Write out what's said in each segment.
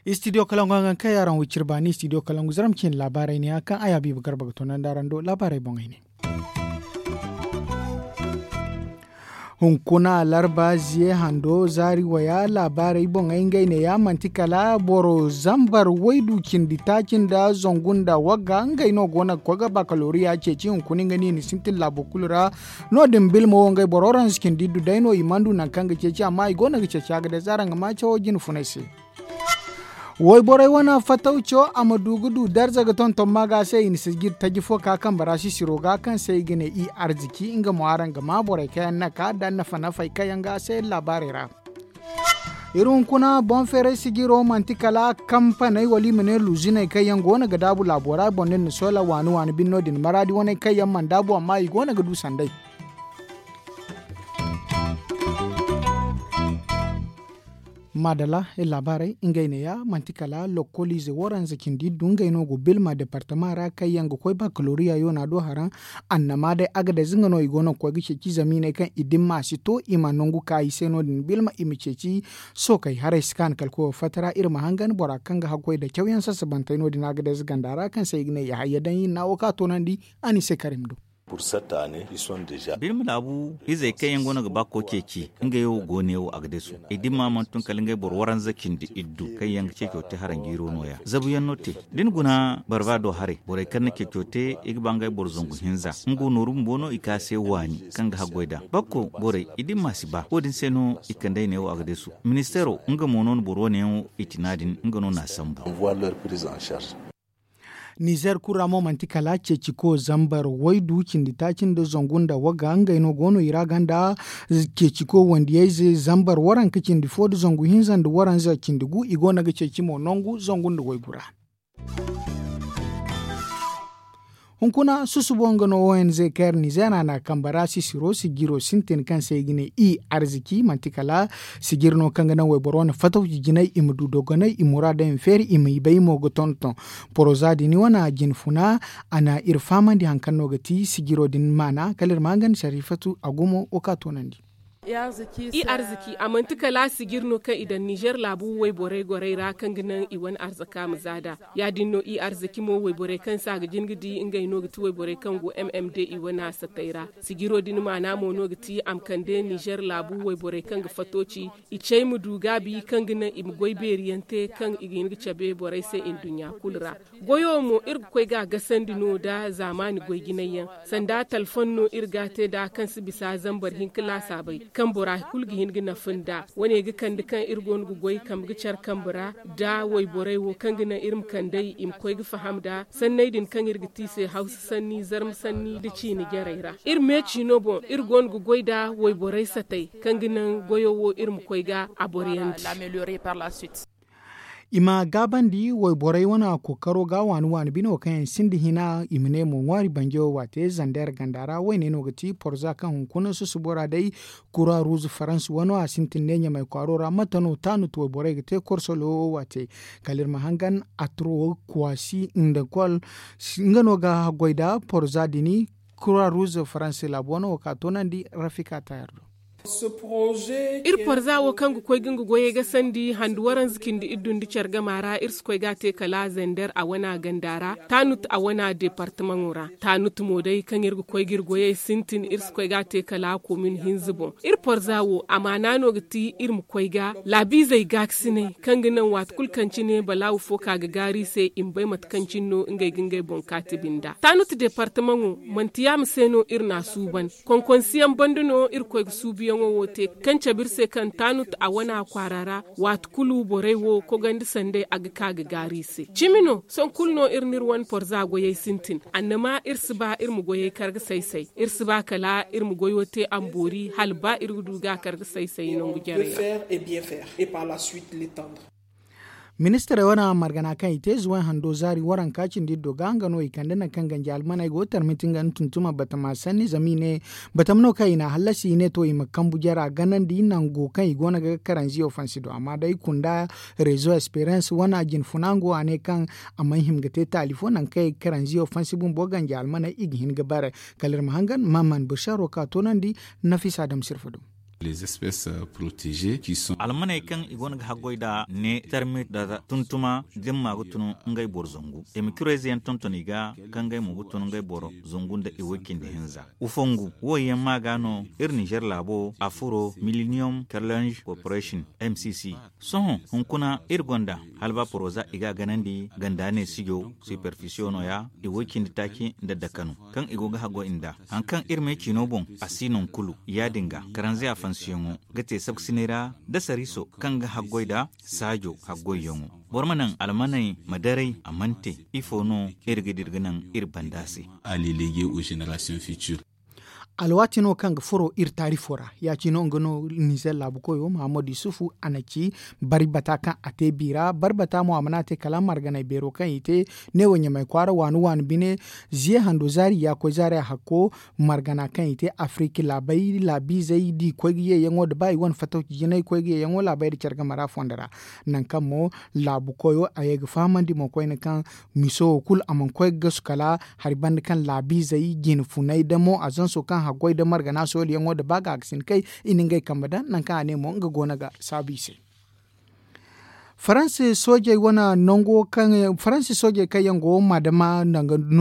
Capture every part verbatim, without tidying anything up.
Istidiyo kalangu hangan kaŋ yaŋ araŋ wiciri baani istidiyo kalangu zaram cine laabaarey ne ya kaŋ ay habiiba garba ga toonandi araŋ do laabaarey boŋey ne. Hunkuna larba ziye hando zaari waya laabaarey boŋey ngey ne ya manti kala boro zambar waydu cindi taaci nda zangu nda wagga ngey no go no ga koy ga bakaloriya ceeci hunkuna nga no i na sintin laabo kulu ra. No- din bilma wo ngey boro ranza cindi iddu day no i mana du nangu kaŋ ga ceeci amma i go no ga ceeci a ga day zaara nga ma cawo jine funay se. Wayborey wane fatawco a ma du ga du darza ga tonton maaga se i na sijir taji fo ka kambe ra sisiro ga kaŋ se i ga ne i arziki nga mo araŋ ga ma borey kaŋ yaŋ na ka da nafa nafey kaŋ yaŋ ga se laabaarey ra. Iri hunkuna boŋ feeray sijiro manti kala kampaney wala i ma ne luuziney kaŋ yaŋ go no ga daabu laabo ra boŋ din na soola waani waani bine no- din maraadi waney kaŋ yaŋ mana daabu amma i go no ga du sanday. Maadala iri laabaarey ngey neeya manti kala lokkoliize waranza cindi iddu ngey no go bilma departama ra kaŋ yaŋ ga koy bakaloriya yoona do haraŋ. Annama day agadez nga no i go no ga koy ga ceeci zama i ne kaŋ i dimma si to i ma nangu ka i se no- din bilma i ma ceeci. Sookey haray si kaanu kala koyo fatta ra iri ma hangan bora kaŋ ga haggoy nda cawyaŋ sasabantey no- din agadez ganda ra kaŋ se i ga ne i hayya daŋ iri na wo ka toonandi. A ni se karim do. Birma laabu izey kaŋ yaŋ go no ga ba koy ceeci ngey wo go ne wo a ga deesu. I dimma mana tun kala ngey boro waranza cindi iddu kaŋ yaŋ ga ceeco te haranjiiro no- ya zabuyaŋ no te. Da ni guna barba do haray borey kaŋ na ceeco te i ga ba ngey boro zangu hinza nga wo nooru bumbo no i ka se waani kaŋ ga haggoy nd'a bakko borey i dimma si ba wo- din se no i kandey ne wo a ga deesu. Ministeero nga mo no na boro wane yaŋ wo i ci no- din nga no na a sambu. Nizer kulu ra mo manti kala ceeciko zambar waydu cindi taaci nda zangu nda wagga ngey no go no i ra ganda. Ceeciko wandiyayze zambar waranka cindi fo nda zangu hinza nda waranza cindi gu i go no ga ceeci mo nangu zangu nda waygu ra. Hunkuna susubo nga no ong kaŋ yar nizer a na kambe ra sisiro sijiro sintin kaŋ se i ga ne i arziki manti kala sijir no kaŋ ga naŋ wayboro wane fatawci jinay i ma du dogonay i muraadey ma feeri i ma i bay mo ga tonton. Poroza din wane a jine funa a na iri fahamandi hari kaŋ no ga ti sijiro din maana kala iri ma hangan sarifatu a gumo wo kaŋ a toonandi. I arziki a manti kala sijir no kaŋ i daŋ nizer laabu wayborey gorey ra kaŋ ga naŋ i wane arzaka ma za nd'a. Ya- din no i arziki mo wayborey kaŋ se a ga jin ga di ngey no ga ti wayborey kaŋ go m m d i wane a satey ra. Sijiro din maana mo no ga ti a ma kande nizer laabu wayborey kaŋ ga fatooci i cey ma du gaabi kaŋ ga naŋ i ma goy beeriyaŋ te kaŋ i ga hin ga cabe borey se nduɲɲa kulu ra. Goyo mo iri ga koy ga a gasandi no nda zaamaani goy jinay yaŋ. Sanda talfon no iri ga a te nd'a kaŋ si bisa zambar hinka laasaabey kaŋ bora kulu ga hin ga nafa nd'a. Wane ga kande kaŋ iri go no ga goy kambe ga care kambe ra nda wayborey wo kaŋ ga naŋ iri ma kand'ey i ma koy ga faham nd'a sanney din kaŋ iri ga te i se hawsa sanni zarma sanni nda ciine jarey ra. Iri me ciino boŋ iri go no ga goy nda wayborey satey kaŋ ga naŋ goyo wo iri ma koy ga a boroyandi. I ma gaabandi wayborey wane kookaro ga waani waani bine wo kaŋ yaŋ sinda hina i ma ne mo ŋwaari banjo waate zander ganda ra wayne no ga ti porza kaŋ hunkuna susubo ra day. Kura ruuz faransa wano a sintin ne ɲamay kwaaro ra mate no taanut wayborey ga te korsolo waate. Kala iri ma hangan atro kwasi nda kol nga no ga haggoy nda porza dini. Kura ruuz faransa laabu wano wo ka toonandi rafika tayar do. Iri porza wo kaŋ ga koy ga nga goyey ga sandi handu waranza cindi iddu nda care gama ra iri si koy ga a te kala zender a wana ganda ra taanut a wana departamaŋo ra. Taanut mo day kaŋ iri ga koy ga iri goyey sintin iri si koy ga a te kala komin hinza boŋ. Iri porza wo amaana no ga ti iri ma koy ga laabiizey gaakasinay kaŋ ga naŋ waati kulu kaŋ cine balaawu fo ka ga gaari i se i ma bay mate kaŋ cine no ngey ga ngey boŋ kaati binda taanut departamaŋo. Manti yaama se no iri n'a suuban. Konkonsiyaŋ banda no iri koy ga suubuyaŋo wo te kaŋ cabe iri se kaŋ taanut a wana kwaara ra. Waati kulu borey wo kogandi sanday a ga ka ga gaaru i se cimi no sohõ kulu no iri n'iri wane porza goyey sintin. Annama iri si ba iri ma goyey kar ga say-say iri si ba kala iri ma goyo te a ma boori hala ba iri ga du ga a kar ga say-say nangu jarey ra. Ministirey wane margana kaŋ i te zuway hando zaari waranka cindi iddo ga nga no i kande nangu kaŋ ganji almaney go tarmiti nga nda tuntuma batama sanni zama i ne batama no kaŋ i n'a hallasi i ne to i ma kambu jara ganandi nango kaŋ i go no ga karanziyo fansi do amma day kunda rezo esperans wane jinfuna ngo a ne kaŋ a mana hima ga te taali fo nangu kaŋ i ga karanziyo fansi bumbo ganji almaney i ga hin ga bare. Kala iri ma hangan maman basharo ka toonandi nafisa dam sirfa do. Almaney kaŋ i go no ga haggoy nd'a ne tarmit nda tuntuma da ni ma ga tun ngey boro zangu. Emikirayze yaŋ tonton i ga kaŋ ngey mo ga tun ngey boro zangu nda i way cindi hinza. Ufongu wo yaŋ ma ga no iri ninzeer laabo a furo miliniyom kerlenz korporesin m c c. Sohõ hunkuna iri gonda halba poroza i ga a ganandi ganda ne sijo siperfisiyo no- ya i way cindi taaci nda dakanu kaŋ i go ga haggoy nd'a. Hari kaŋ iri me ciino boŋ a si naŋ kulu ya- din ga karanze afansiyaŋo ga te sabkasinay ra nda sariiso kaŋ ga haggoy nd'a saajo haggoyyaŋo. Boro ma naŋ almaney ma daray a mana te. Ifo no iri ga dira ga naŋ iri banda se? Alwaati no kaŋ ga furo iri taarifo ra ya- cine nga no nizer laabu koyo mahammadu yusufu a na ci bari bata kaŋ a te bi ra bari bata mo a mana te kala marganey beero kaŋ i te neewo ɲamay kwaara waani waani bine. Ziye hando zaari ya koy zaari a hakko margana kaŋ i te afiriki laabey laabiizey da i koy ga yeeyaŋo nda ba i wane fatawci jinay koy ga yeeyaŋo laabey nda care game ra fondo ra. Nangu kaŋ mo laabu koyo a ye ga fahamandi mo koyne kaŋ miso wo kulu a mana koy ga gasu kala hari banda kaŋ laabiizey jine funay damo azanso kaŋ haggoy nda margana sooliyaŋo nda ba ga a ga si ni kay i na ngey kambe daŋ nangu kaŋ a ne mo nga go no ga saabu i se. Faransi soojey wane nango kaŋ faransi soojey kaŋ yaŋ go maadama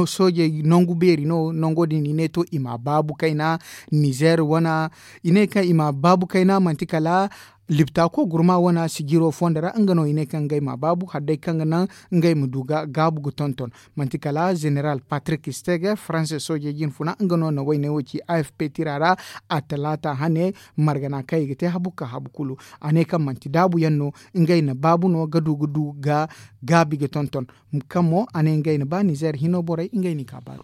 soojey nangu beeri no nango din i ne to i ma a baabu kayna nizer wane i ne kaŋ i ma a baabu kayna manti kala lipta ko gurma wane sijiro fondo ra nga no i ne kaŋ ngey ma a baabu hala day kaŋ ga naŋ ngey ma du ga gaabu ga tonton. Manti kala zeneral patrik stege faranse soojey jinfuna nga no na wayne wo ci a f p tira ra a talaata hane margana kaŋ i ga te habu ka habu kulu. A ne kaŋ manti daabu yaŋ no ngey na baabu no ga du ga du ga gaabi ga tonton. Kaŋ mo a ne ngey na ba nizer hino borey ngey n'i ka baaru.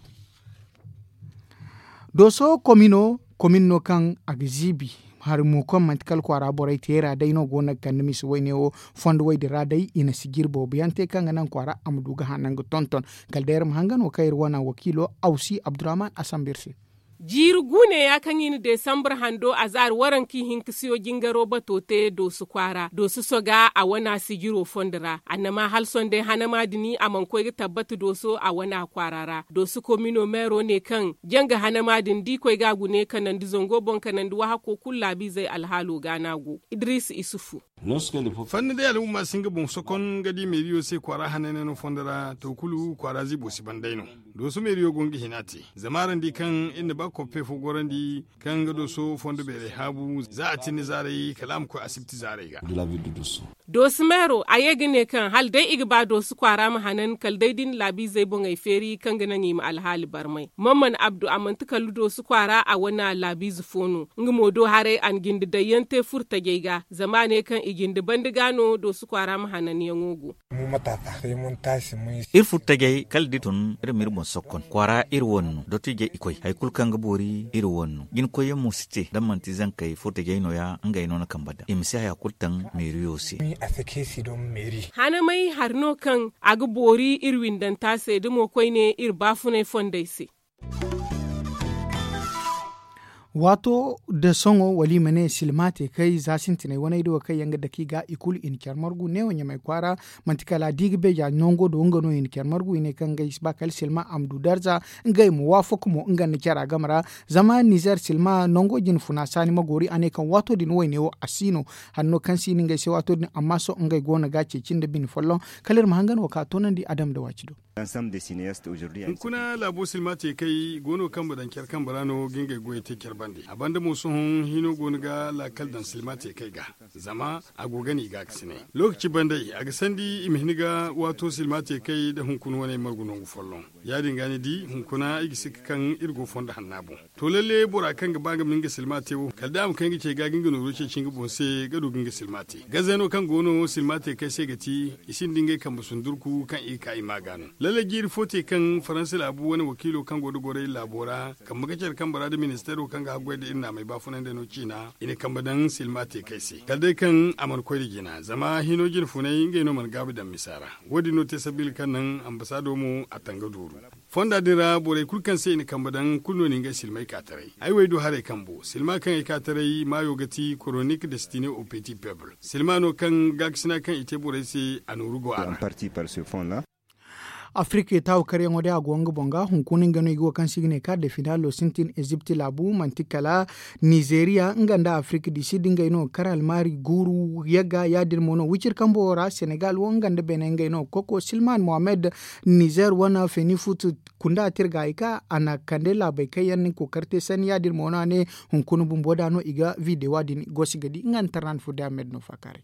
Dooso komino komin no kaŋ a ga ziibi hari mo kaŋ manti kala kwaara borey teera day no go no ga kande misa wayne wo fondo way din ra day i na sijiri boobo yaŋ te kaŋ ga naŋ kwaara a ma du ga hanan ga tonton. Kala day iri ma hangan wo kaŋ iri wane wakiilo awsi abdurrahman asambu iri se. Jiiri guune ya kaŋ i na desambar hando a zaari waranka i hinka siyo jingaro bato te dooso kwaara dooso soga a wane sijiro fondo ra annama hala sohõ day hanama din a mana koy ga tabbata dooso a wane kwaara ra dooso komino meero ne kaŋ janga hanama din da i koy ga a gune kanandi zango boŋ kanandi wahako kulu laabiizey alhaalo ga no a go. Idris isufu. Fanni day alhumma si nga boŋ sokon ga di meeriyo se kwaara hananay no fondo ra to kulu kwaara ziibo si ban day no. Dooso meeriyo go nga hina te zama araŋ di kaŋ iri na ba koppe fo gorandi kaŋ ga dooso fondo beerey haabu za a tinni zaaray kala a ma koy asibti zaaray ga. Dooso meero a ye ga ne kaŋ hala day i ga ba dooso kwaara ma hanan kala day da i na laabiizey boŋey feeri kaŋ ga naŋ i ma alhaali barmay. Mamman abdu a manti kala dooso kwaara a wane laabiize fo no nga mo do haray a na jinde daŋ yaŋ te furtajey ga zama a ne kaŋ i jinde banda ga no dooso kwaara ma hananyaŋo go. Iri furtajey kala da i tun iri ma iri boŋ sokkon kwaara iri wane no dottijey i koy hari kulu kaŋ ga boori iri wane no jina koyyaŋ mo si te da manti zankey furtajey no- ya ngey no na kambe daŋ i ma si haya kulu taŋ meeriyo se. Hanamay hari no kaŋ a ga boori iri windanta se da mo koyne iri baafunay fondey se. Waato nda sohõ wala i ma ne silma te kay za sintinay waney da wo kaŋ yaŋ ga dake i ga i kulu i na care margu neewo ɲamay kwaara. Manti kala da i ga beeja nango do nga no i na care margu i ne kaŋ ngey si ba kala silma a ma du darza ngey ma waafaka mo nga nda cara game ra. Zama nizer silma nango jinfuna saani ma goori a ne kaŋ waato din wayne wo a si no. Hanno kaŋ si no ngey se waato din amma sohõ ngey go no ga ceeci nda bine folloŋ. Kala iri ma hangan wo ka toonandi adama nda waaci do. Hunkuna laabo silma te kay go no kaŋ ma daŋ care kambe ra no ga ngey goyey te care bande a banda mo sohõ hino go no ga laakal daŋ silma te kay ga. Zama a go ga no i ga a ga sinay lookaci bande a ga sandi i ma hin ga waato silma te kay nda hunkuna wane margu nangu folloŋ. Ya- din ga ni di hunkuna i ga sikka kaŋ iri go fondo hanna boŋ. To lalle bora kaŋ ga ba nga ma nga silma te wo kala da a ma kay nga cey ga ga nga nooro ceeci nga boŋ se ga du ga nga silma te gaze no kaŋ go no silma te kay se ga ti i sinda ngey kambe sundurku kaŋ i ga ka i ma ga no. Lalle jiiri fo te kaŋ faransa laabu wane wakiilo kaŋ go ga goray laabo ra kambe ga care kambe ra nda ministeero kaŋ ga haggoy nda iri naamey baafunandey no ciina i na kambe daŋ silma te kay se kala day kaŋ a mana koy nda jina zama hino jina funay ngey no mana gaabi daŋ misa ra. Wo- din no te sabiila kaŋ naŋ ambasaado mo a tanga duuru fonda din ra borey kulu kaŋ se i na kambe daŋ kulu no na ngey silmay ka taray. Ay wo ay du haray kambo silma kaŋ ay ka taray maayo ga ti koronik destine au petit peuple silma no kaŋ gaakasina kaŋ i te borey se a nooru go a ra. Afirik taawu karyaŋo day a go nga boŋ ga hunkuna nga no i ga wo kaŋ se i ga ne kaar de finaalo sintin ezipt laabu manti kala nizeeriya nga nda afirik di sid ngey no ga kar almaari guuru yagga ya- din mo no wicir kambo wo ra senegal wo nga nda beene ngey no ga koko silman mohammed nizeer wane feni fut kunda tirga i ka a na kande laabey kaŋ yaŋ na ni kookari te sanni ya- din mo no a ne hunkuna bumbo da no i ga videwa din gosi ga di nga nda tarnan fudde ahmed no faakaaray.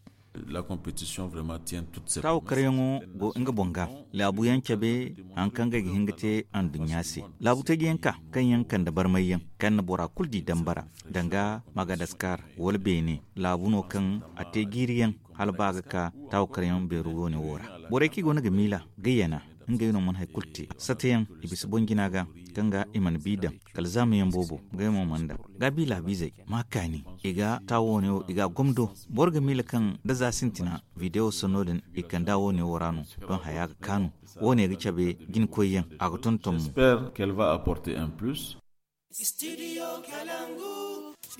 Taawo karyaŋo go nga boŋ ga laabu yaŋ cabe hari kaŋ ngey ga hin ga te anduɲɲa se laabu teeji yaŋ ka kaŋ yaŋ kande barmay yaŋ kaŋ na bora kulu di dambara danga magadaskar wala beene laabu no kaŋ a te jiiri yaŋ hala ba ga ka taawo karyaŋ beeru woone wo ra. Borey kaŋ i go no ga miila ga yana ngey no mana hari kulu te sata yaŋ i bisa boŋ jina ga kaŋ ga i mana bi daŋ kala zaama yaŋ boobo ngey mo mana daŋ gaabi laabiizey ma kaani i ga taawo woone wo i ga a gomdo. Boro ga miila kaŋ da za sintina videwo sanno din i kanda woone wo ra no doŋ haya ga kaanu woone ga cabe jinkoy yaŋ a ga tonton mo.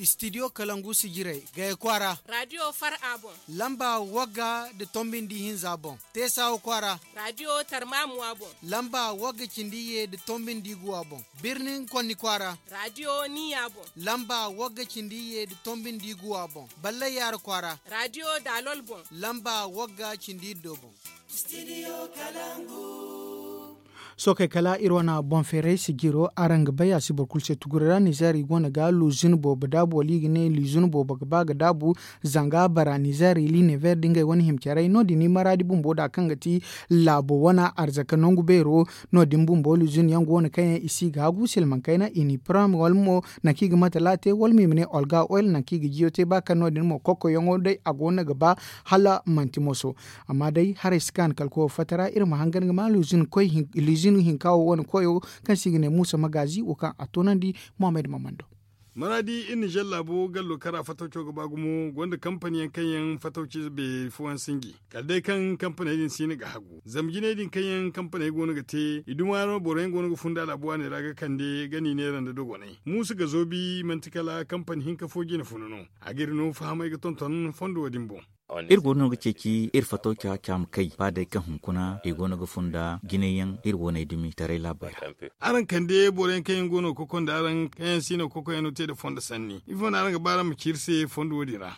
Stidiyo kalangu si jiray gaya kwaara. Radiyo far a boŋ. Lamba wagga nda tombi nda ihinza boŋ. Teesawa kwaara. Radiyo tarmamuwa boŋ. Lamba wagga cindi ye nda tombi nda iguwa boŋ. Birnin konni kwaara. Radiyo niya boŋ. Lamba wagga cindi ye nda tombi nda iguwa boŋ. Ballay yaara kwaara. Radiyo daalol boŋ. Lamba wagga cindi iddo boŋ. Sookey kala iri wane boŋ feeray si jiro araŋ ga bay a si boro kulu se tuguri ra nizeer i go no ga luzin boobo daabu wala i ga ne luzin boobo ga ba ga daabu. Zanga bara nizeer i linever da ngey wane himcaray no- din i maraadi bumbo da kaŋ ga ti laabo wane arzaka nangu beero. No- din bumbo luzin yaŋ go no kaŋ yaŋ i si ga hagu silmaŋ kayna i ni pram wala mo nangu kaŋ i ga matala te wala mo i ma ne olga oil nangu kaŋ i ga jiyo te ba kaŋ no- din mo kokkoyaŋo day a go no ga ba hala manti moso. Amma day haray si kaanu kala koyo fatta ra iri ma hangan ga ma luzin hinka wo wane koyo kaŋ se i ga ne muusa magaazi wo kaŋ a toonandi. Mohammed mamando. Maraadi iri nizer laabo gallo kara fatawco ga ba gumo gonda kampani yaŋ kaŋ yaŋ fatawci beeri fooyaŋ sinji kala day kaŋ kampaney din siina ga hagu zama jinay din kaŋ yaŋ kampaney go no ga te i duma no boro yaŋ go no ga funda laabo waaney ra ga kande ga ni neera nda dogonay muusu ga zoobi manti kala kampani hinka fo jine funa no. A ga iri no fahamay ga tonton fondo wo- din boŋ. Iri go no ga ceeci iri fattaw ca caama kay ba day kaŋ hunkuna i go no ga funda jinay yaŋ iri waney dumi taray laabey ra. Araŋ kande boro yaŋ kaŋ yaŋ go no ga kokonda araŋ kaŋ yaŋ si no ga kokoyaŋ no te nda fondo sanni ifo no araŋ ga ba araŋ ma ci iri se fondo wo- din ra?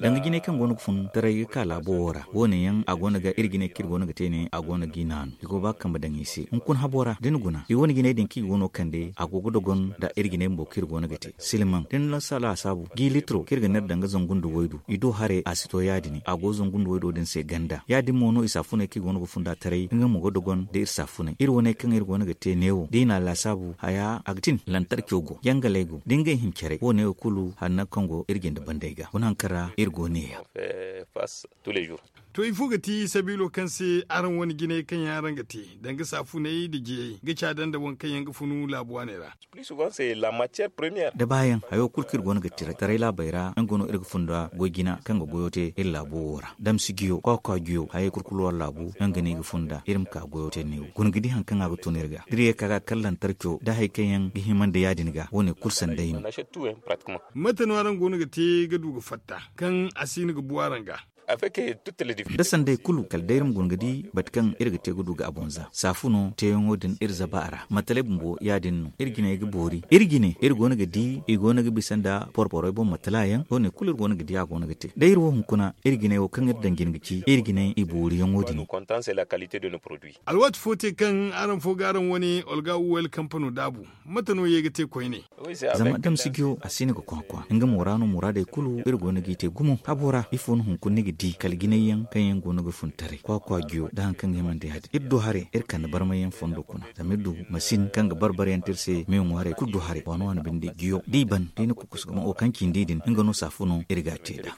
Danga jinay kaŋ go no ga fun taray ga ka laabo wo ra wo- ne yaŋ a go no ga iri jinay kaŋ iri go no ga te ne a go no ga i naanu i go ba ga kambe daŋ i se hunkuna habo ra da ni guna i wane jinay din kaŋ i go no ga kande a go ga dogon nda iri jinay bumbo kaŋ iri go no ga te silmaŋ da ni lansa laasaabu ga i litiro kaŋ iri ga ne iri danga zangu nda waydu i do haray a si to ya- din a go zangu nda waydo din se ganda ya- din mo no i saafuney kaŋ i go no ga funda taray nga mo ga dogon nda iri saafuney iri wane kaŋ iri go no ga te neewo da i na a laasaabu haya a ga tin lantarco go yangalay go da ngey hincaray wo- ne wo kulu hari nangu kaŋ go iri jinde bandey ga guna hari kaŋ ra iri go neeya. To ifo ga ti sabiilo kaŋ se araŋ wane jinay kaŋ yaŋ araŋ ga te danga saafuney nda jiyey ga caada nda waŋ kaŋ yaŋ ga funu laabu waaney ra? Da baayaŋ hayo kulu kaŋ iri go no ga te taray laabey ra nga no iri ga funda goy jina kaŋ ga goyo te iri laabo wo ra damsi jiyo kwakwa jiyo hayey kulu kulu war laabu nga no i ga funda iri ma ka goyo te neewo guna ga di hari kaŋ a ga tun iri ga da iri ye ka ga kala lantarco da hari kaŋ yaŋ ga hima nda ya- din ga wo- ne kulu sanday no. Mate no araŋ go no ga te ga du ga fatta kaŋ a si no ga bu araŋ ga? Da sanday kulu kala day iri ma guna ga di bate kaŋ iri ga te ga du ga a boŋ za saafuno teeyaŋo din iri zaba a ra matalay bumbo ya- din no iri jinay ga boori iri jine iri go no ga di i go no ga bisa nda porporey boŋ matala yaŋ wo- ne kulu iri go no ga di a go no ga te day iri wo hunkuna iri jinay wo kaŋ iri daŋ jine ga ci iri jinay i booriyaŋo din. Alwaati fo te kaŋ araŋ fo ga araŋ wane olga uwel kampano daabu mate no ye ga te koyne? Zama damsi jiyo a si no ga kwakwa nga mo ra no muraadey kulu iri go no g'i te gumo habo ra ifo no hunkuna ni ga di kala jinay yaŋ kaŋ yaŋ go no ga fun taray kwakwa jiyo nda hari kaŋ ga hima nda ya- din iri du haray iri kande barmay yaŋ fondo kuna zama iri du masin kaŋ ga bar-bar yaŋ te iri se me ŋwaaray kulu du haray waano waano binde jiyo da i ban da i na kukusu ga ma wo kaŋ cindi din nga no saafuno iri ga a te nd'a.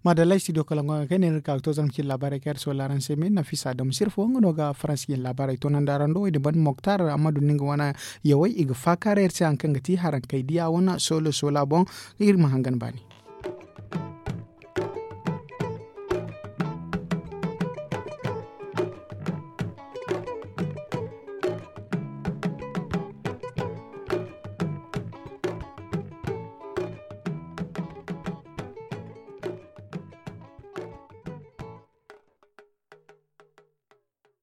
Maadalla studio kala ngo ga kay ne ni ga ka ga to zama cine laabaarey kaŋ iri soola araŋ se me nafisa dam sirfo nga no ga faransi jine laabaarey toonandi araŋ do wo- din banda moktar amma dun ni nga wane yawey i ga faakaara iri se hari kaŋ ga ti haraŋ kay diya wane soolo soola boŋ. Iri ma hangan baani.